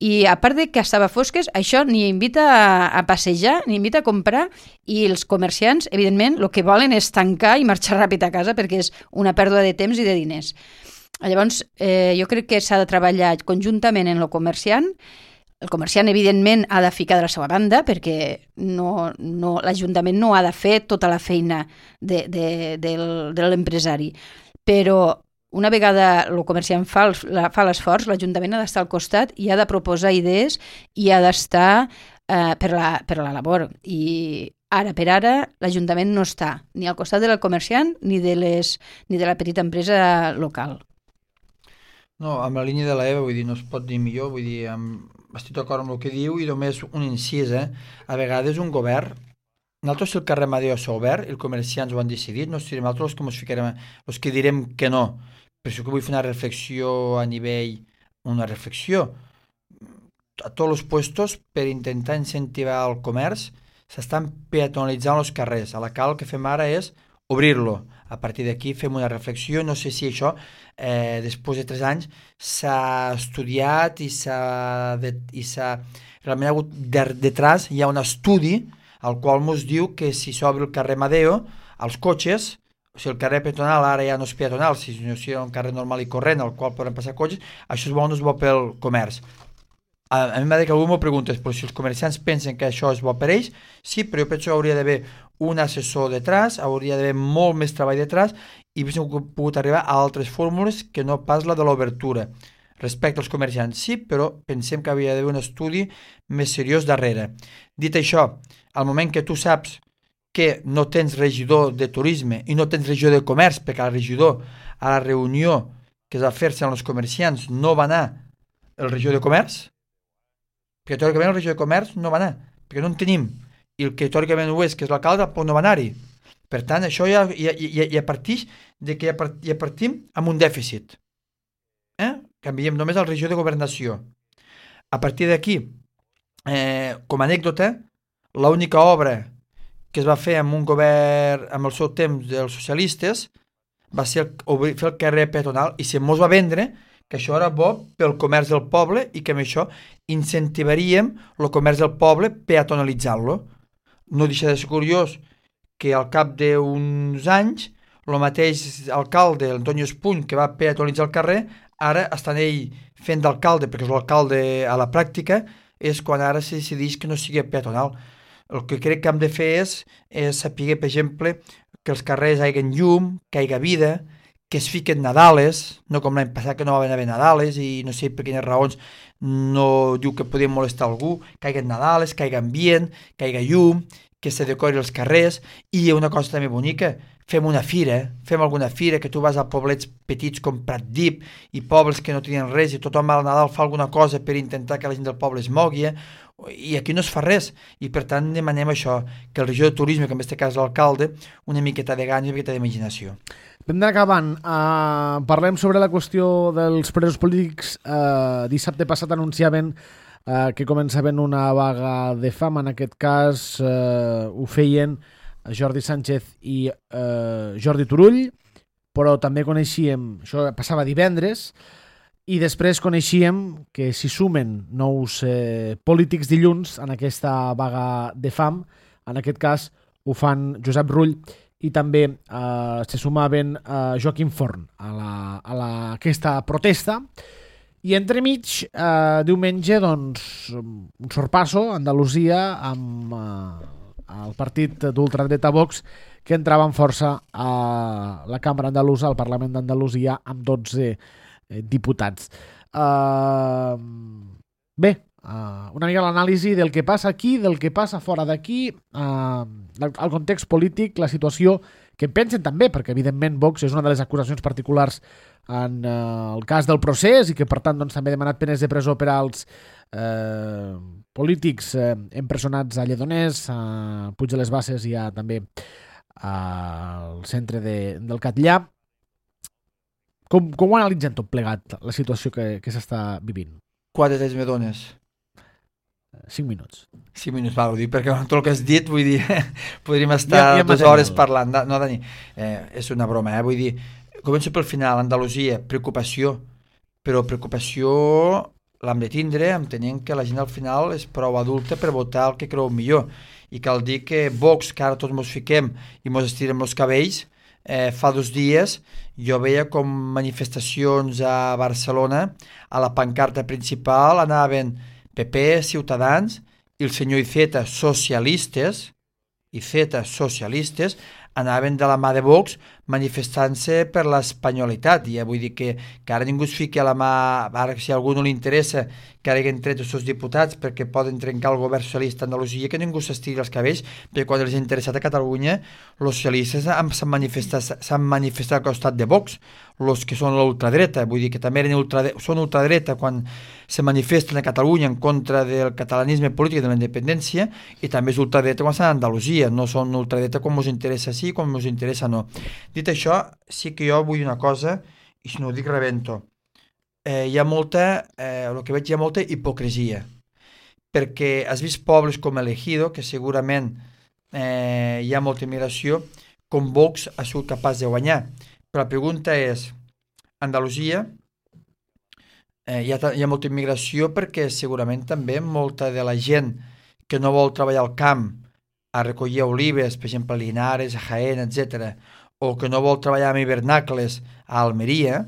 Speaker 3: i a part de que estava a fosques, això ni invita a passejar, ni invita a comprar, i els comerciants, evidentment, el que volen és tancar i marxar ràpid a casa perquè és una pèrdua de temps i de diners. Llavors, jo crec que s'ha de treballar conjuntament en el comerciant. El comerciant, evidentment, ha de ficar de la seva banda perquè l'Ajuntament no ha de fer tota la feina de l'empresari. Però una vegada el comerciant fa l'esforç, l'Ajuntament ha d'estar al costat i ha de proposar idees i ha d'estar per la labor. I ara per ara l'Ajuntament no està ni al costat del comerciant ni de la petita empresa local.
Speaker 2: No, amb la línia de l'EVA, vull dir, no es pot dir millor, vull dir, estic d'acord amb el que diu i només un incís, a vegades un govern, nosaltres si el carrer Amadeu s'ha obert, els comerciants ho han decidit, no serem nosaltres els que ens ficarem, els que direm que no. Per això que vull fer una reflexió a nivell, una reflexió a tots els puestos per intentar incentivar el comerç, s'estan peatonalitzant els carrers. A la cal el que fem ara és obrir-lo. A partir d'aquí fem una reflexió, no sé si això després de 3 anys s'ha estudiat i realment ha hagut detrás hi ha un estudi al qual ens diu que si s'obre el carrer Amadeo als cotxes, o sigui el carrer peatonal ara ja no és peatonal, si no és un carrer normal i corrent al qual poden passar cotxes, això és bo o no és bo pel comerç. A mi m'ha dit que algú m'ho preguntes, però si els comerciants pensen que això és bo per ells, sí, però jo penso que hauria d'haver un assessor detrás, hauria d'haver molt més treball detrás i hauríem pogut arribar a altres fórmules que no pas la de l'obertura. Respecte als comerciants, sí, però pensem que havia d'haver un estudi més seriós darrere. Dit això, al moment que tu saps que no tens regidor de turisme i no tens regidor de comerç, perquè el regidor a la reunió que es va fer-se amb els comerciants no va anar el regidor de comerç, perquè teòricament el regidor de comerç no va anar, perquè no en tenim, i el que teòricament ho és, que és l'alcalde, no va anar-hi. Per tant, això ja partix de que ja partim amb un dèficit. Canviem només el regidor de governació. A partir d'aquí, com a anècdota, l'única obra que es va fer amb un govern, amb el seu temps dels socialistes, va ser fer el carrer peatonal, i se mos va vendre que això era bo pel comerç del poble i que amb això incentivaríem el comerç del poble peatonalitzant-lo. No deixa de ser curiós que al cap d'uns anys el mateix alcalde, l'Antonio Espuny, que va peatonalitzar el carrer, ara està ell fent d'alcalde, perquè és l'alcalde a la pràctica, és quan ara se decideix que no sigui peatonal. El que crec que hem de fer és saber, per exemple, que els carrers hagin llum, que hi hagi vida, que es fiquen Nadales, no com l'any passat que no va haver Nadales i no sé per quines raons no diu que podien molestar algú, que hi hagi Nadales, que hi hagi ambient, que hi hagi llum, que se decori els carrers, i una cosa també bonica, fem una fira, fem alguna fira, que tu vas a poblets petits com Pratdip i pobles que no tenien res i tothom al Nadal fa alguna cosa per intentar que la gent del poble es mogui, i aquí no es fa res, i per tant demanem això, que el regidor de turisme, que en aquest cas l'alcalde, una miqueta de gana i una miqueta d'imaginació.
Speaker 1: Vam d'anar acabant. Parlem sobre la qüestió dels presos polítics. Dissabte passat anunciaven que començaven una vaga de fam. En aquest cas ho feien Jordi Sánchez i Jordi Turull, però també coneixíem, això passava divendres, i després coneixíem que s'hi sumen nous polítics dilluns en aquesta vaga de fam. En aquest cas ho fan Josep Rull i també se sumaven Joaquim Forn a aquesta protesta. I entremig, diumenge, doncs, un sorpasso a Andalusia amb el partit d'ultradreta Vox, que entrava amb força a la Cambra Andalusa, al Parlament d'Andalusia, amb 12 diputats. Bé, una mica l'anàlisi del que passa aquí, del que passa fora d'aquí, el context polític, la situació que en pensen també, perquè evidentment Vox és una de les acusacions particulars en el cas del procés i que per tant doncs, també ha demanat penes de presó per als polítics empresonats a Lledoners, a Puig de les Basses i també al centre del Catllà. Com ho analitzen tot plegat, la situació que s'està vivint?
Speaker 2: 4 temps me dones?
Speaker 1: 5 minuts.
Speaker 2: 5 minuts, va, ho dic perquè tot el que has dit, vull dir, podríem estar 2 hores parlant. No, Dani, és una broma, vull dir, començo pel final, Andalusia, preocupació, però preocupació l'hem de tindre, entenent que la gent al final és prou adulta per votar el que creu millor, i cal dir que Vox, que ara tots mos fiquem i mos estirem els cabells, fa 2 dies jo veia com manifestacions a Barcelona, a la pancarta principal anaven PP, Ciutadans i el senyor Iceta, socialistes, anaven de la mà de Vox manifestant-se per l'espanyolitat. Ja vull dir que ara ningú es fiqui a la mà, ara si a algú no li interessa que ara hagin tret els seus diputats perquè poden trencar el govern socialista a Andalusia, que ningú s'estiri els cabells, perquè quan els ha interessat a Catalunya, els socialistes s'han manifestat al costat de Vox, els que són l'ultradreta, vull dir que també són ultradreta quan se manifesten a Catalunya en contra del catalanisme polític i de la independència, i també és ultradreta quan estan a Andalusia, no són ultradreta quan us interessa sí, quan us interessa no. Dit això, sí que jo vull una cosa, i si no ho dic rebento. Hi ha molta, el que veig, hi ha molta hipocresia, perquè has vist pobles com el Ejido, que segurament hi ha molta immigració, com Vox ha sigut capaç de guanyar. Però la pregunta és, Andalusia hi ha molta immigració perquè segurament també molta de la gent que no vol treballar al camp a recollir olives, per exemple a Linares, a Jaén, etc., o que no vol treballar amb hivernacles a Almeria,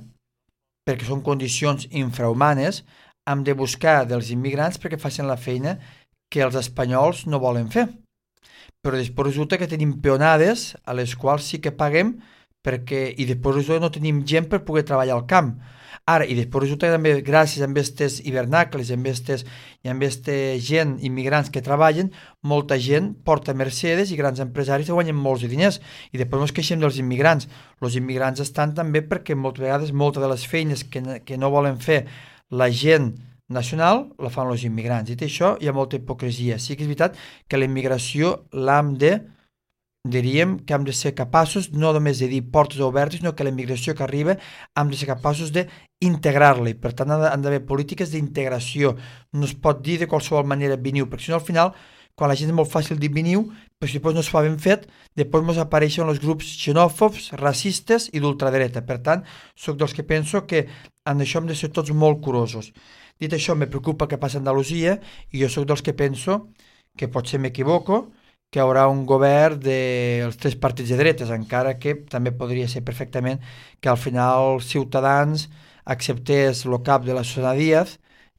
Speaker 2: perquè són condicions infrahumanes, hem de buscar dels immigrants perquè facin la feina que els espanyols no volen fer. Però després resulta que tenim peonades a les quals sí que paguem i després resulta que no tenim gent per poder treballar al camp. Ara, i després resulta que també gràcies a aquests hivernacles i a aquesta gent, immigrants que treballen, molta gent porta Mercedes i grans empresaris que guanyen molts diners. I després ens queixem dels immigrants. Els immigrants estan també perquè moltes vegades moltes de les feines que no volen fer la gent nacional la fan els immigrants. Dit això, hi ha molta hipocresia. Sí que és veritat que la immigració diríem que hem de ser capaços no només de dir portes obertes, sinó que la immigració que arriba hem de ser capaços d'integrar-la, i per tant han d'haver polítiques d'integració. No es pot dir de qualsevol manera veniu, perquè si no al final, quan la gent és molt fàcil dir veniu, però si després no es fa ben fet, després ens apareixen els grups xenòfobs, racistes i d'ultradreta. Per tant, sóc dels que penso que en això hem de ser tots molt curosos. Dit això, me preocupa que passa a Andalusia, i jo sóc dels que penso que potser m'equivoco, que hi haurà un govern dels tres partits de dretes, encara que també podria ser perfectament que al final Ciutadans acceptés el cap de la Susana Díaz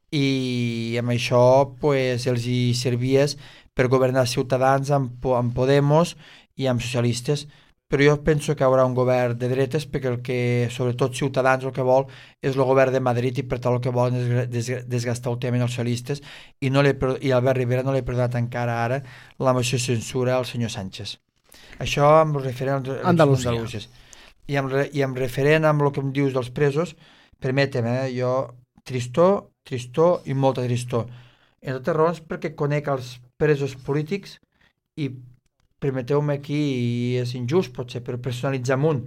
Speaker 2: i amb això pues, els hi servies per governar Ciutadans amb Podemos i amb socialistes. Però jo penso que hi haurà un govern de dretes perquè el que, sobretot Ciutadans, el que vol és el govern de Madrid, i per tant el que volen és desgastar últimament els socialistes, i Albert Rivera no li ha perdonat encara ara la moció de censura al senyor Sánchez. Això amb referent a
Speaker 1: Andalusia.
Speaker 2: I amb referent amb el que em dius dels presos, permetem, jo tristor i molta tristor. En totes raons perquè conec els presos polítics i permeteu-me aquí, i és injust potser, però personalitzar amunt.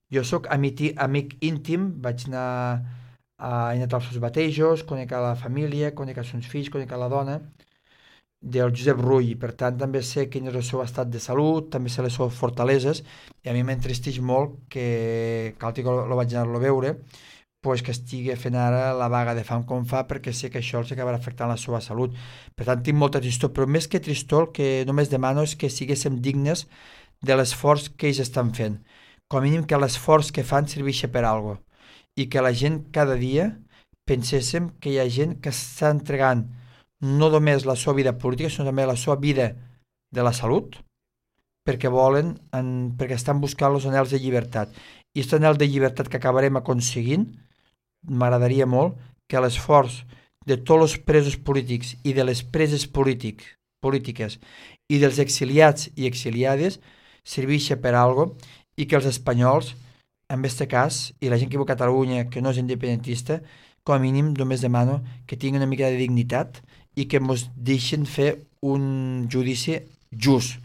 Speaker 2: Jo sóc amic íntim, vaig anar als seus batejos, conec a la família, conec els seus fills, conec a la dona del Josep Rull, i per tant també sé quin és el seu estat de salut, també sé les seves fortaleses, i a mi m'entristeix molt que cal que lo vaig anar a veure, pues que estigui fent ara la vaga de fam com fa, perquè sé que això els acabarà afectant la seva salut. Per tant, tinc molta tristor, però més que tristor, el que només demano és que siguéssim dignes de l'esforç que ells estan fent. Com a mínim que l'esforç que fan serveixi per alguna cosa, i que la gent cada dia penséssim que hi ha gent que està entregant no només la seva vida política, sinó també la seva vida de la salut, perquè estan buscant els anhels de llibertat. I aquest anhel de llibertat que acabarem aconseguint, m'agradaria molt que l'esforç de tots els presos polítics i de les preses polítiques i dels exiliats i exiliades serveixi per alguna cosa, i que els espanyols, en aquest cas, i la gent que viu a Catalunya que no és independentista, com a mínim només demano que tinguin una mica de dignitat i que ens deixin fer un judici just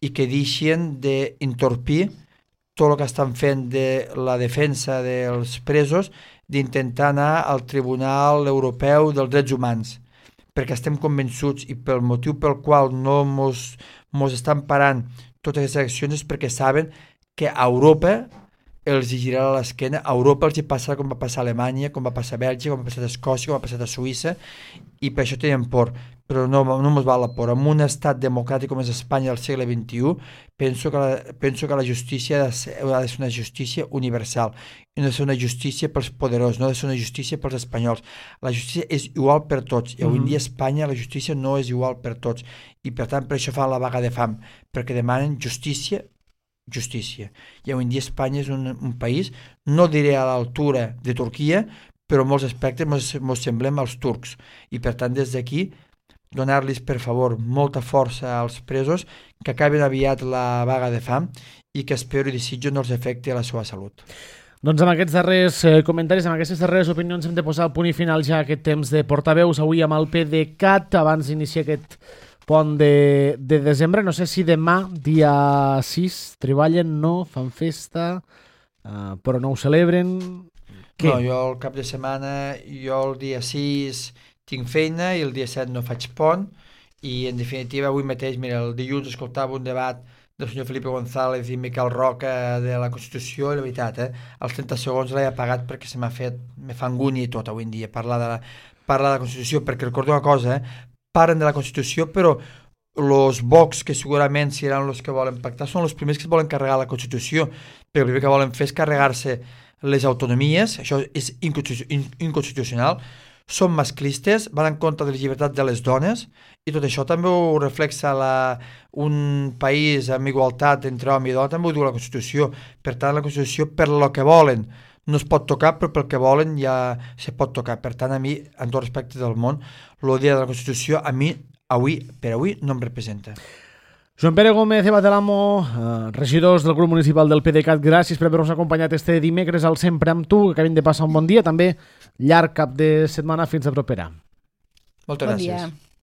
Speaker 2: i que deixin d'entorpir tot el que estan fent de la defensa dels presos, d'intentar anar al Tribunal Europeu dels Drets Humans, perquè estem convençuts, i pel motiu pel qual no mos estan parant totes aquestes accions, és perquè saben que a Europa els hi girarà l'esquena, a Europa els hi passarà com va passar a Alemanya, com va passar a Bèlgica, com va passar a Escòcia, com va passar a Suïssa, i per això tenen por. Però no ens val la por. En un estat democràtic com és Espanya del segle XXI, penso que la justícia ha de ser una justícia universal, i no ha de ser una justícia pels poderosos, no ha de ser una justícia pels espanyols. La justícia és igual per tots, i avui en dia a Espanya la justícia no és igual per tots, i per tant per això fan la vaga de fam, perquè demanen justícia justícia. I avui en dia Espanya és un país, no diré a l'altura de Turquia, però en molts aspectes ens semblem als turcs. I per tant, des d'aquí, donar-los, per favor, molta força als presos, que acabin aviat la vaga de fam i que espero i desitjo no els afecti a la seva salut.
Speaker 1: Doncs amb aquests darrers comentaris, amb aquestes darreres opinions hem de posar el punt i final ja a aquest temps de portaveus avui amb el PDeCAT abans d'iniciar aquest pont de desembre. No sé si demà, dia 6, treballen, no, fan festa, però no ho celebren. Què?
Speaker 2: No, jo el cap de setmana, jo el dia 6 tinc feina i el dia 7 no faig pont i en definitiva avui mateix, mira, el dilluns escoltava un debat del senyor Felipe González i Miquel Roca de la Constitució i la veritat, els 30 segons l'he apagat perquè se m'ha fet, me fa angúnia i tot avui en dia parlar de la Constitució, perquè recordo una cosa, parlen de la Constitució però els Vox, que segurament seran els que volen pactar, són els primers que es volen carregar la Constitució, perquè el primer que volen fer és carregar-se les autonomies, això és inconstitucional, són masclistes, van en contra de les llibertats de les dones i tot això també ho reflexa un país amb igualtat entre home i dona, també ho diu la Constitució. Per tant, la Constitució per lo que volen no es pot tocar, però pel que volen ja se pot tocar. Per tant, a mi, en tot respecte del món, el dia de la Constitució a mi, per avui, no em representa.
Speaker 1: Joan Pere Gómez Abatelamo, regidors del grup municipal del PDeCAT, gràcies per haver-nos acompanyat este dimecres al Sempre amb tu, que acabem de passar un bon dia, també llarg cap de setmana fins a propera.
Speaker 2: Moltes gràcies.